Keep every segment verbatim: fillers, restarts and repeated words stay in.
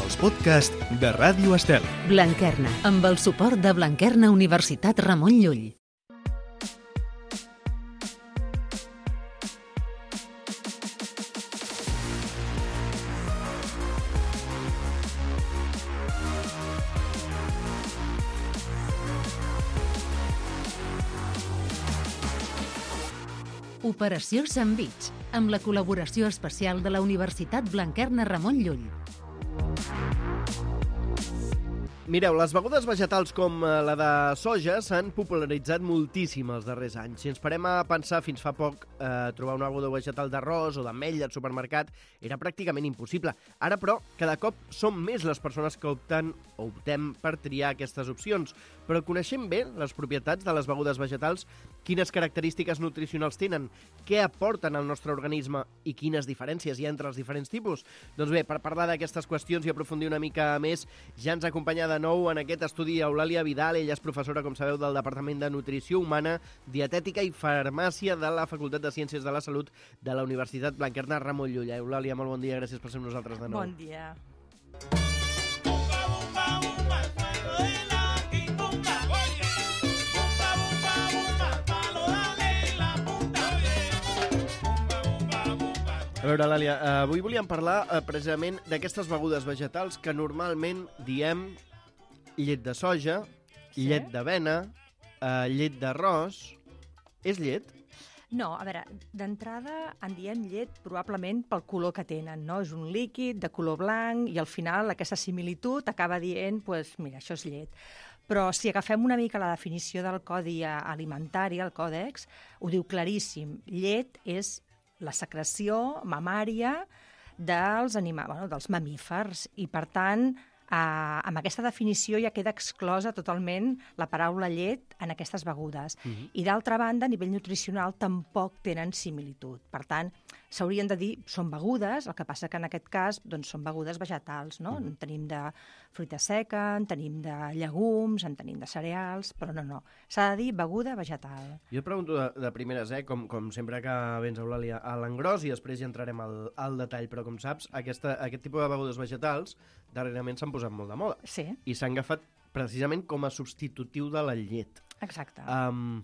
els podcasts de Ràdio Estel. Blanquerna, amb el suport de Blanquerna Universitat Ramon Llull. Operació Sandvich, amb la col·laboració especial de la Universitat Blanquerna Ramon Llull. Mireu, les begudes vegetals com la de soja s'han popularitzat moltíssim els darrers anys. Si ens parem a pensar, fins fa poc, eh, trobar una beguda vegetal d'arròs o d'ametlla al supermercat era pràcticament impossible. Ara, però, cada cop són més les persones que opten o optem per triar aquestes opcions. Però coneixem bé les propietats de les begudes vegetals, quines característiques nutricionals tenen, què aporten al nostre organisme i quines diferències hi ha entre els diferents tipus? Doncs bé, per parlar d'aquestes qüestions i aprofundir una mica més, ja ens acompanya de nou en aquest estudi Eulàlia Vidal. Ella és professora, com sabeu, del Departament de Nutrició Humana, Dietètica i Farmàcia de la Facultat de Ciències de la Salut de la Universitat Blanquerna Ramon Llull. Eulàlia, molt bon dia, gràcies per ser amb nosaltres de nou. Bon dia. A veure, Làlia, avui volíem parlar eh, precisament d'aquestes begudes vegetals que normalment diem llet de soja, Sí? llet d'avena, eh, llet d'arròs. És llet? No, a veure, d'entrada en diem llet probablement pel color que tenen, no? És un líquid de color blanc i al final aquesta similitud acaba dient, pues, mira, això és llet. Però si agafem una mica la definició del Codi Alimentari, el Còdex, ho diu claríssim. Llet és la secreció mamària dels, anima... bueno, dels mamífers i, per tant, eh, amb aquesta definició ja queda exclosa totalment la paraula llet en aquestes begudes. Uh-huh. I, d'altra banda, a nivell nutricional tampoc tenen similitud. Per tant, s'haurien de dir són begudes, el que passa que en aquest cas doncs, són begudes vegetals, no? Uh-huh. En tenim de fruita seca, en tenim de llegums, en tenim de cereals, però no, no. S'ha de dir beguda vegetal. Jo et pregunto de, de primeres, eh, com, com sempre que vens, Eulàlia, a l'engròs i després ja entrarem al, al detall, però com saps, aquesta, aquest tipus de begudes vegetals darrerament s'han posat molt de moda Sí, i s'han agafat precisament com a substitutiu de la llet. exacte. Um,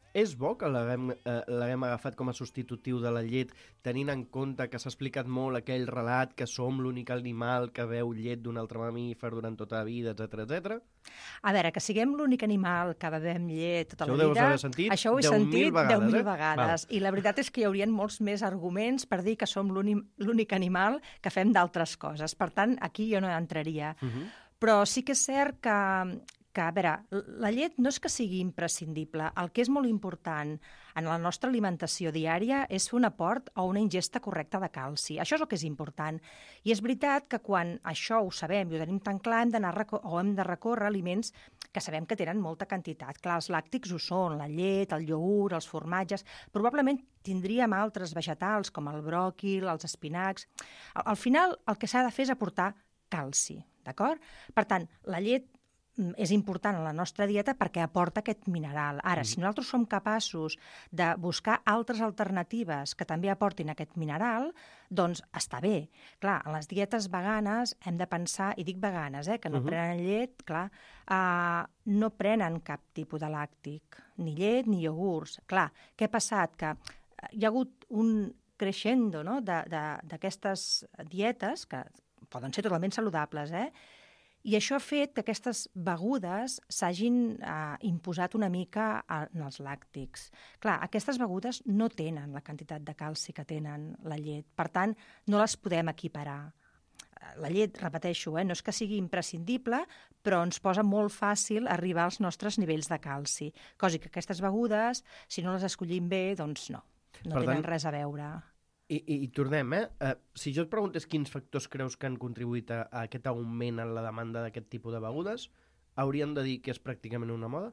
és bo que l'haguem eh, l'haguem agafat com a substitutiu de la llet, tenint en compte que s'ha explicat molt aquell relat que som l'únic animal que beu llet d'un altre mamífer durant tota la vida, etcètera, etcètera. A veure, que siguem l'únic animal que bevem llet tota Això ho la deus vida... haver sentit això ho he deu mil sentit vegades, deu mil eh? vegades. I la veritat és que hi haurien molts més arguments per dir que som l'únic l'únic animal que fem d'altres coses. Per tant, aquí jo no entraria. Uh -huh. Però sí que és cert que, que, a veure, la llet no és que sigui imprescindible. El que és molt important en la nostra alimentació diària és fer un aport o una ingesta correcta de calci. Això és el que és important. I és veritat que quan això ho sabem i ho tenim tan clar, hem d'anar o hem de recórrer aliments que sabem que tenen molta quantitat. Clar, els làctics ho són, la llet, el iogurt, els formatges... Probablement tindríem altres vegetals, com el bròquil, els espinacs... Al, al final, el que s'ha de fer és aportar calci, d'acord? Per tant, la llet és important en la nostra dieta perquè aporta aquest mineral. Ara, mm. si nosaltres som capaços de buscar altres alternatives que també aportin aquest mineral, doncs està bé. Clar, en les dietes veganes hem de pensar, i dic veganes, eh, que no uh -huh. prenen llet, clar, uh, no prenen cap tipus de làctic, ni llet ni iogurts. Clar, què ha passat? Que hi ha hagut un crescendo, no?, d'aquestes dietes que poden ser totalment saludables, eh? I això ha fet que aquestes begudes s'hagin eh, imposat una mica en els làctics. Clar, aquestes begudes no tenen la quantitat de calci que tenen la llet. Per tant, no les podem equiparar. La llet, repeteixo, eh, no és que sigui imprescindible, però ens posa molt fàcil arribar als nostres nivells de calci. Cosa que aquestes begudes, si no les escollim bé, doncs no, no Per tenen tant, res a veure. I, i, i tornem, eh? Uh, si jo et preguntés quins factors creus que han contribuït a, a aquest augment en la demanda d'aquest tipus de begudes, hauríem de dir que és pràcticament una moda?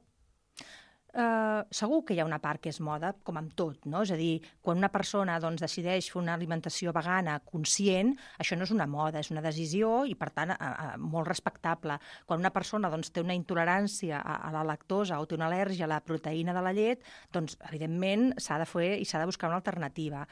Uh, segur que hi ha una part que és moda, com amb tot, no? És a dir, quan una persona doncs, decideix fer una alimentació vegana conscient, això no és una moda, és una decisió i, per tant, uh, uh, molt respectable. Quan una persona doncs, té una intolerància a, a la lactosa o té una al·lèrgia a la proteïna de la llet, doncs, evidentment, s'ha de fer i s'ha de buscar una alternativa.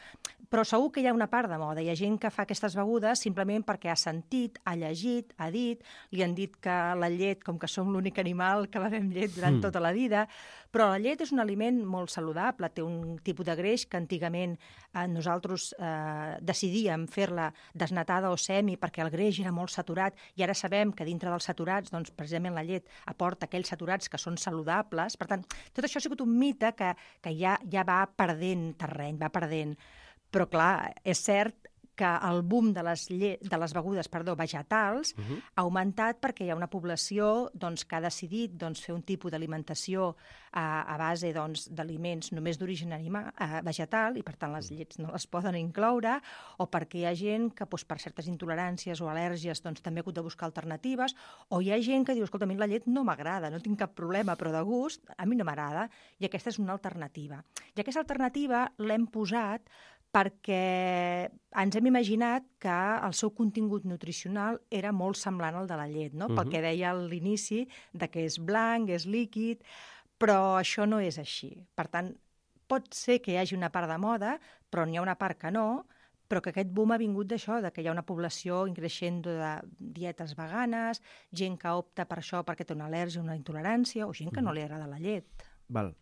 però segur que hi ha una part de moda. Hi ha gent que fa aquestes begudes simplement perquè ha sentit, ha llegit, ha dit, li han dit que la llet, com que som l'únic animal que bevem llet durant mm. tota la vida, però la llet és un aliment molt saludable, té un tipus de greix que antigament eh, nosaltres eh, decidíem fer-la desnatada o semi perquè el greix era molt saturat i ara sabem que dintre dels saturats, doncs, precisament la llet aporta aquells saturats que són saludables. Per tant, tot això ha sigut un mite que, que ja, ja va perdent terreny, va perdent. Però, clar, és cert que el boom de les, lle... de les begudes perdó, vegetals uh-huh. ha augmentat perquè hi ha una població doncs, que ha decidit doncs, fer un tipus d'alimentació a, a base doncs, d'aliments només d'origen anima... eh, vegetal i, per tant, les llets no les poden incloure, o perquè hi ha gent que doncs, per certes intoleràncies o al·lèrgies doncs, també ha hagut de buscar alternatives, o hi ha gent que diu, escolta, a mi la llet no m'agrada, no tinc cap problema, però de gust a mi no m'agrada, i aquesta és una alternativa. I aquesta alternativa l'hem posat perquè ens hem imaginat que el seu contingut nutricional era molt semblant al de la llet, no? Uh-huh. Pel que deia a l'inici, de que és blanc, és líquid, però això no és així. Per tant, pot ser que hi hagi una part de moda, però n'hi ha una part que no, però que aquest boom ha vingut d'això, de que hi ha una població increixent de dietes veganes, gent que opta per això perquè té una al·lèrgia, una intolerància, o gent que no li agrada la llet. Val.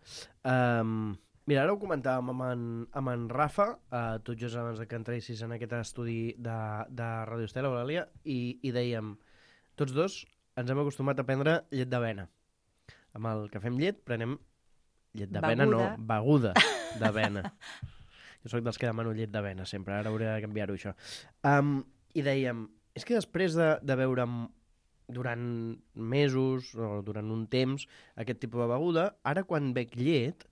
Um... Mira, ara ho comentàvem amb en, amb en Rafa, eh, tot just abans que entressis en aquest estudi de, de Radio Estela, Eulàlia, i, i dèiem, tots dos ens hem acostumat a prendre llet d'avena. Amb el que fem llet, prenem llet d'avena, no, beguda d'avena. Jo soc dels que demano llet d'avena sempre, ara hauré de canviar-ho, això. Um, I dèiem, és que després de, de beure durant mesos o durant un temps aquest tipus de beguda, ara quan bec llet,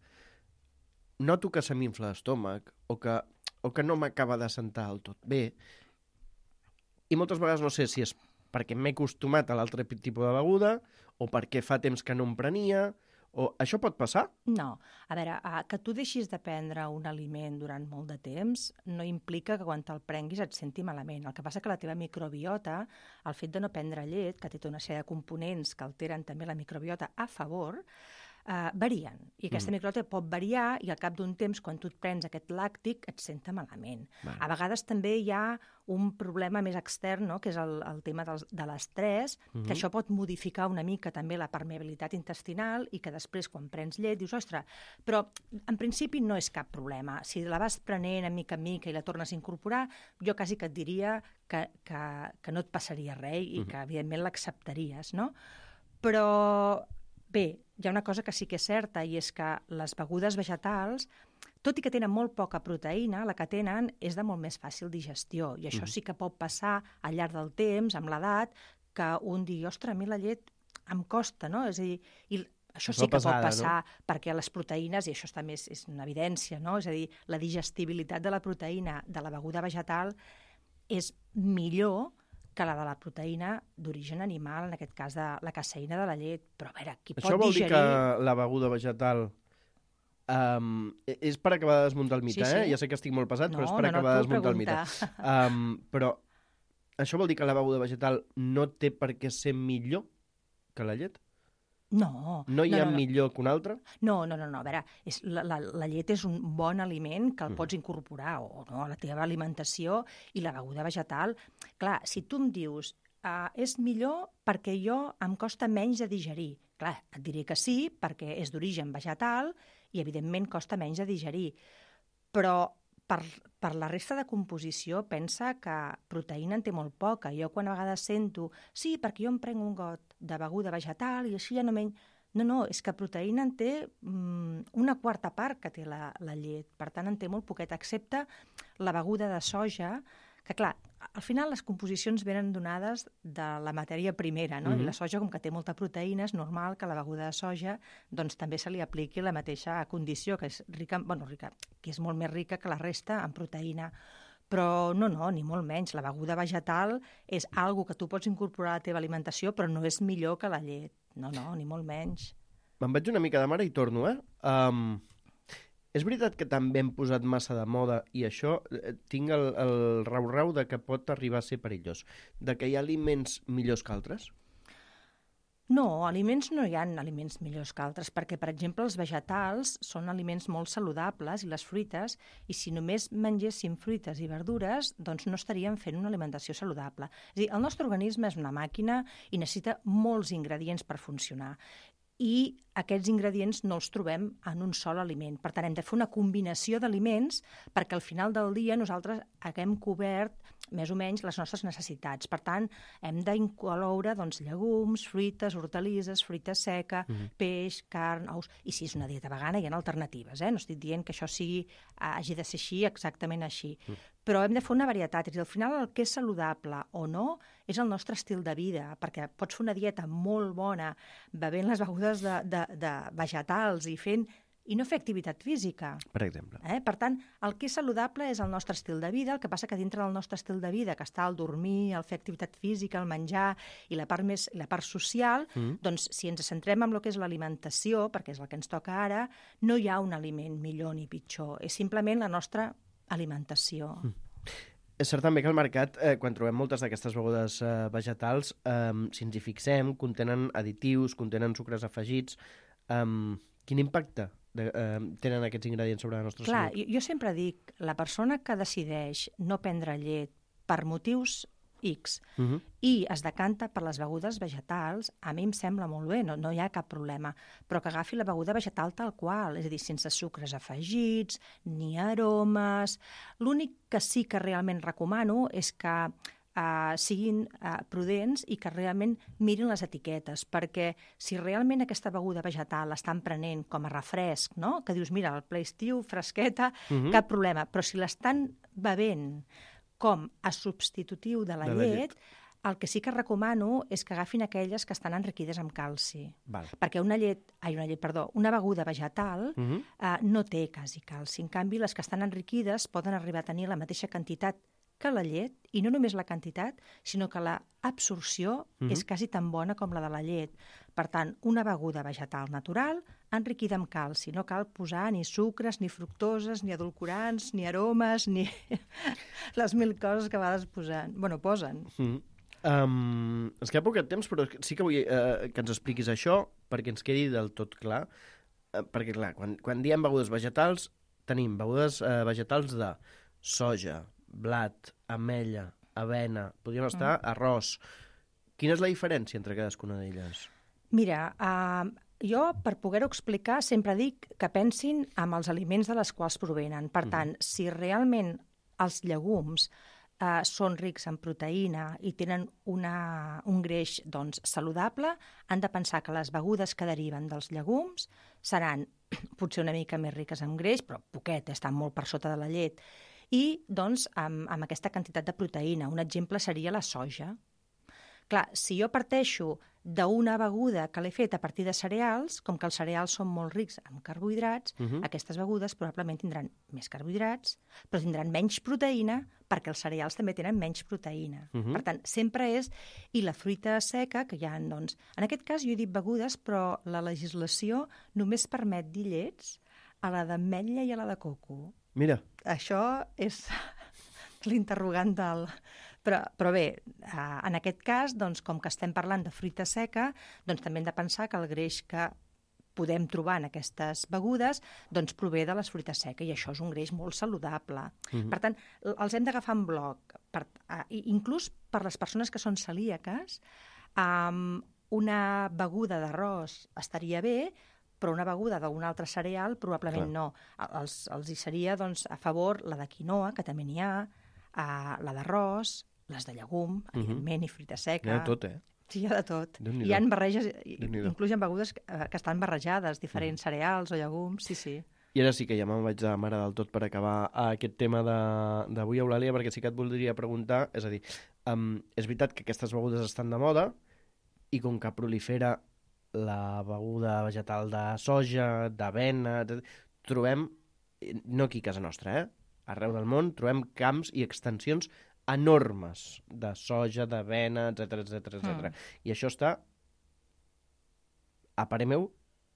noto que se m'infla l'estómac o que, o que no m'acaba de sentar del tot bé. I moltes vegades no sé si és perquè m'he acostumat a l'altre tipus de beguda o perquè fa temps que no em prenia. O... Això pot passar? No. A veure, que tu deixis de prendre un aliment durant molt de temps no implica que quan te'l prenguis et senti malament. El que passa que la teva microbiota, el fet de no prendre llet, que té tota una sèrie de components que alteren també la microbiota a favor, Uh, varien, i aquesta mm. microbiota pot variar i al cap d'un temps, quan tu et prens aquest làctic, et senta malament. Vale. A vegades també hi ha un problema més extern, no?, que és el, el tema del, de l'estrès, mm-hmm. que això pot modificar una mica també la permeabilitat intestinal i que després, quan prens llet, dius, ostres, però en principi no és cap problema. Si la vas prenent a mica en mica i la tornes a incorporar, jo quasi que et diria que, que, que no et passaria res i mm-hmm. que, evidentment, l'acceptaries, no? Però... Bé, hi ha una cosa que sí que és certa, i és que les begudes vegetals, tot i que tenen molt poca proteïna, la que tenen és de molt més fàcil digestió. I això mm. sí que pot passar al llarg del temps, amb l'edat, que un digui, ostres, a mi la llet em costa, no? És a dir, i això sí que pesada, pot passar, no? Perquè les proteïnes, i això també és, és una evidència, no? És a dir, la digestibilitat de la proteïna de la beguda vegetal és millor que la de la proteïna d'origen animal, en aquest cas de la caseïna de la llet. Però a veure, qui Això pot digerir... Això vol dir que la beguda vegetal um, és per acabar de desmuntar el mite, sí, sí. eh? Ja sé que estic molt pesat, no, però és per no, acabar no, de desmuntar preguntar. el mite. Um, però això vol dir que la beguda vegetal no té per què ser millor que la llet? No. No hi ha no, no, millor que un altre? No, no, no, no. A veure, és, la, la, la llet és un bon aliment que el mm. pots incorporar o no, a la teva alimentació, i la beguda vegetal. Clar, si tu em dius uh, és millor perquè jo em costa menys de digerir. Clar, et diré que sí, perquè és d'origen vegetal i, evidentment, costa menys de digerir. Però per, per la resta de composició, pensa que proteïna en té molt poca. Jo quan a vegades sento, sí, perquè jo em prenc un got de beguda vegetal i així ja no menys... No, no, és que proteïna en té mm, una quarta part que té la, la llet. Per tant, en té molt poquet, excepte la beguda de soja, que clar, al final les composicions venen donades de la matèria primera, no? Mm-hmm. I la soja, com que té molta proteïna, és normal que a la beguda de soja doncs, també se li apliqui la mateixa condició, que és rica, bueno, rica, que és molt més rica que la resta en proteïna. Però no, no, ni molt menys. La beguda vegetal és algo que tu pots incorporar a la teva alimentació, però no és millor que la llet. No, no, ni molt menys. Me'n vaig una mica de mare i torno, eh? Um, és veritat que també hem posat massa de moda i això, eh, tinc el, el rau-rau de que pot arribar a ser perillós. De que hi ha aliments millors que altres? No, aliments no hi ha aliments millors que altres, perquè, per exemple, els vegetals són aliments molt saludables i les fruites, i si només mengéssim fruites i verdures, doncs no estaríem fent una alimentació saludable. És a dir, el nostre organisme és una màquina i necessita molts ingredients per funcionar. I aquests ingredients no els trobem en un sol aliment. Per tant, hem de fer una combinació d'aliments perquè al final del dia nosaltres haguem cobert més o menys les nostres necessitats. Per tant, hem d'incloure doncs, llegums, fruites, hortalisses, fruita seca, mm-hmm. peix, carn, ous... I si és una dieta vegana hi ha alternatives, eh? No estic dient que això sigui, hagi de ser així, exactament així. Mm. Però hem de fer una varietat. És a dir, al final el que és saludable o no és el nostre estil de vida, perquè pots fer una dieta molt bona bevent les begudes de, de, de vegetals i fent i no fer activitat física. Per exemple. Eh? Per tant, el que és saludable és el nostre estil de vida, el que passa que dintre del nostre estil de vida, que està el dormir, el fer activitat física, el menjar i la part, més, la part social, mm. doncs si ens centrem en el que és l'alimentació, perquè és el que ens toca ara, no hi ha un aliment millor ni pitjor, és simplement la nostra alimentació. Mm. És cert també que al mercat, eh, quan trobem moltes d'aquestes begudes eh, vegetals, eh, si ens hi fixem, contenen additius, contenen sucres afegits. Eh, quin impacte de, eh, tenen aquests ingredients sobre la nostra Clar, salut? Jo, jo sempre dic, la persona que decideix no prendre llet per motius X uh-huh. i es decanta per les begudes vegetals, a mi em sembla molt bé, no, no hi ha cap problema, però que agafi la beguda vegetal tal qual, és a dir, sense sucres afegits, ni aromes. L'únic que sí que realment recomano és que uh, siguin uh, prudents i que realment mirin les etiquetes, perquè si realment aquesta beguda vegetal l'estan prenent com a refresc, no? Que dius, mira, el ple estiu, fresqueta, uh-huh. cap problema, però si l'estan bevent com a substitutiu de la, de la llet, llet, el que sí que recomano és que agafin aquelles que estan enriquides amb calci. Val. Perquè una llet, ai, una llet, perdó, una beguda vegetal uh-huh. eh, no té quasi calci. En canvi, les que estan enriquides poden arribar a tenir la mateixa quantitat que la llet, i no només la quantitat, sinó que l'absorció uh-huh. és quasi tan bona com la de la llet. Per tant, una beguda vegetal natural enriquida amb calci. No cal posar ni sucres, ni fructoses, ni edulcorants, ni aromes, ni les mil coses que a vegades posen. Bueno, posen. Mm. Um, ens queda poc temps, però sí que vull uh, que ens expliquis això perquè ens quedi del tot clar. Uh, perquè, clar, quan, quan diem begudes vegetals, tenim begudes uh, vegetals de soja, blat, ametlla, avena, podríem estar mm. arròs. Quina és la diferència entre cadascuna d'elles? Mira, uh, jo, per poder-ho explicar, sempre dic que pensin en els aliments de les quals provenen. Per tant, mm. si realment els llegums uh, són rics en proteïna i tenen una, un greix doncs, saludable, han de pensar que les begudes que deriven dels llegums seran potser una mica més riques en greix, però poquet, estan molt per sota de la llet, i doncs amb, amb aquesta quantitat de proteïna. Un exemple seria la soja. Clar, si jo parteixo d'una beguda que l'he fet a partir de cereals, com que els cereals són molt rics en carbohidrats, uh-huh. aquestes begudes probablement tindran més carbohidrats, però tindran menys proteïna, perquè els cereals també tenen menys proteïna. Uh-huh. Per tant, sempre és... I la fruita seca, que hi ha, doncs... En aquest cas jo he dit begudes, però la legislació només permet dir llets a la d'ametlla i a la de coco. Mira. Això és l'interrogant del... Però, però bé, eh, en aquest cas, doncs, com que estem parlant de fruita seca, doncs també hem de pensar que el greix que podem trobar en aquestes begudes doncs prové de les fruites seques, i això és un greix molt saludable. Mm-hmm. Per tant, els hem d'agafar en bloc. Per, eh, inclús per les persones que són celíaques, eh, una beguda d'arròs estaria bé, però una beguda d'un altre cereal probablement Clar. no. Els, els hi seria doncs, a favor la de quinoa, que també n'hi ha, Uh, la d'arròs, les de llegum, uh-huh. evidentment, i fruita seca. Hi ha de tot, eh? Sí, hi ha de tot. Hi ha barreges, inclús hi ha begudes que, que estan barrejades, diferents uh-huh. cereals o llegums, sí, sí. I ara sí que ja me'n vaig de mare del tot per acabar aquest tema d'avui, Eulàlia, perquè sí que et voldria preguntar, és a dir, um, és veritat que aquestes begudes estan de moda, i com que prolifera la beguda vegetal de soja, d'avena, trobem, no aquí a casa nostra, eh? Arreu del món trobem camps i extensions enormes de soja, d'avena, etcètera, etcètera, etcètera. Mm. I això està, a parer meu,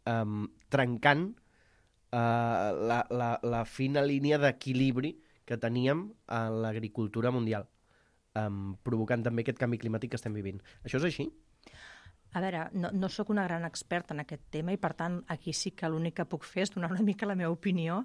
um, trencant uh, la, la, la fina línia d'equilibri que teníem a l'agricultura mundial, um, provocant també aquest canvi climàtic que estem vivint. Això és així? A veure, no, no sóc una gran experta en aquest tema i, per tant, aquí sí que l'únic que puc fer és donar una mica la meva opinió,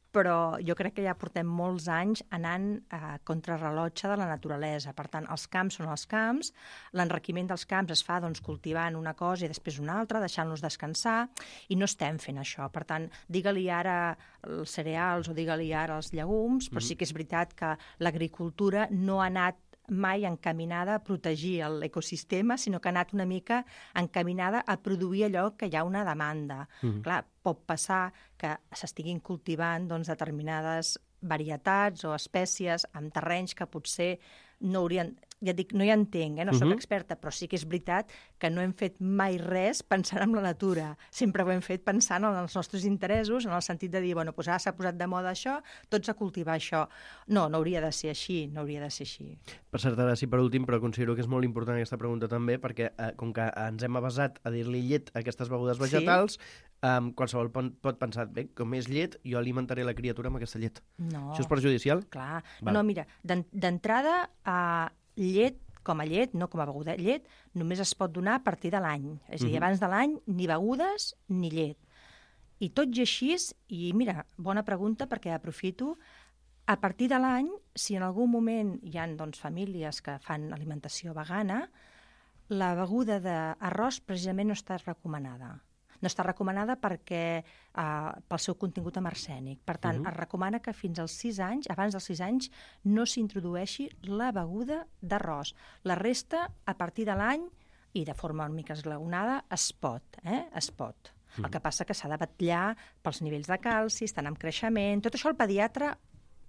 però jo crec que ja portem molts anys anant a contrarrellotge de la naturalesa. Per tant, els camps són els camps, l'enriquiment dels camps es fa doncs, cultivant una cosa i després una altra, deixant-los descansar, i no estem fent això. Per tant, digue-li ara els cereals o digue-li ara els llegums, però sí que és veritat que l'agricultura no ha anat mai encaminada a protegir l'ecosistema, sinó que ha anat una mica encaminada a produir allò que hi ha una demanda. Mm-hmm. Clar, pot passar que s'estiguin cultivant doncs, determinades varietats o espècies en terrenys que potser no haurien... Ja dic, no hi entenc, eh? No soc uh-huh. experta, però sí que és veritat que no hem fet mai res pensant en la natura. Sempre ho hem fet pensant en els nostres interessos, en el sentit de dir, bueno, doncs ara s'ha posat de moda això, tots a cultivar això. No, no hauria de ser així, no hauria de ser així. Per cert, ara sí, per últim, però considero que és molt important aquesta pregunta també, perquè eh, com que ens hem avasat a dir-li llet a aquestes begudes vegetals, sí. Um, qualsevol pot pensar, bé, com és llet, jo alimentaré la criatura amb aquesta llet. No. Això és perjudicial? Clar. Val. No, mira, d'entrada, uh, llet com a llet, no com a beguda, llet només es pot donar a partir de l'any. És a dir, uh-huh. abans de l'any, ni begudes ni llet. I tot i així, i mira, bona pregunta perquè aprofito, a partir de l'any, si en algun moment hi ha doncs, famílies que fan alimentació vegana, la beguda d'arròs precisament no està recomanada. No està recomanada perquè eh, pel seu contingut amb arsènic. Per tant, uh-huh. es recomana que fins als sis anys, abans dels sis anys, no s'introdueixi la beguda d'arròs. La resta, a partir de l'any, i de forma una mica esglaonada, es pot, eh? Es pot. Uh-huh. El que passa que s'ha de vetllar pels nivells de calci, estan en creixement... Tot això el pediatre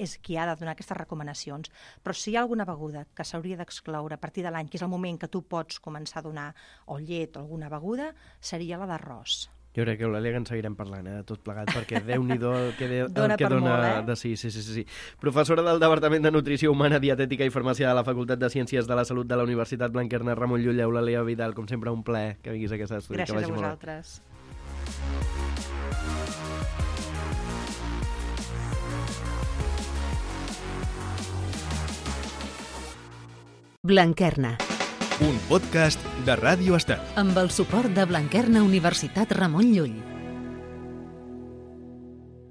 és qui ha de donar aquestes recomanacions. Però si hi ha alguna beguda que s'hauria d'excloure a partir de l'any, que és el moment que tu pots començar a donar o llet o alguna beguda, seria la d'arròs. Jo crec que Eulàlia que en seguirem parlant, eh, tot plegat, perquè Déu-n'hi-do el que, de, dona el que dona molt, eh? de sí, sí, sí, sí. Professora del Departament de Nutrició Humana, Dietètica i Farmàcia de la Facultat de Ciències de la Salut de la Universitat Blanquerna Ramon Llull, Eulàlia Vidal, com sempre un plaer que vinguis a aquesta estudi. Gràcies a vosaltres. Blanquerna. Un podcast de Ràdio Estel. Amb el suport de Blanquerna Universitat Ramon Llull.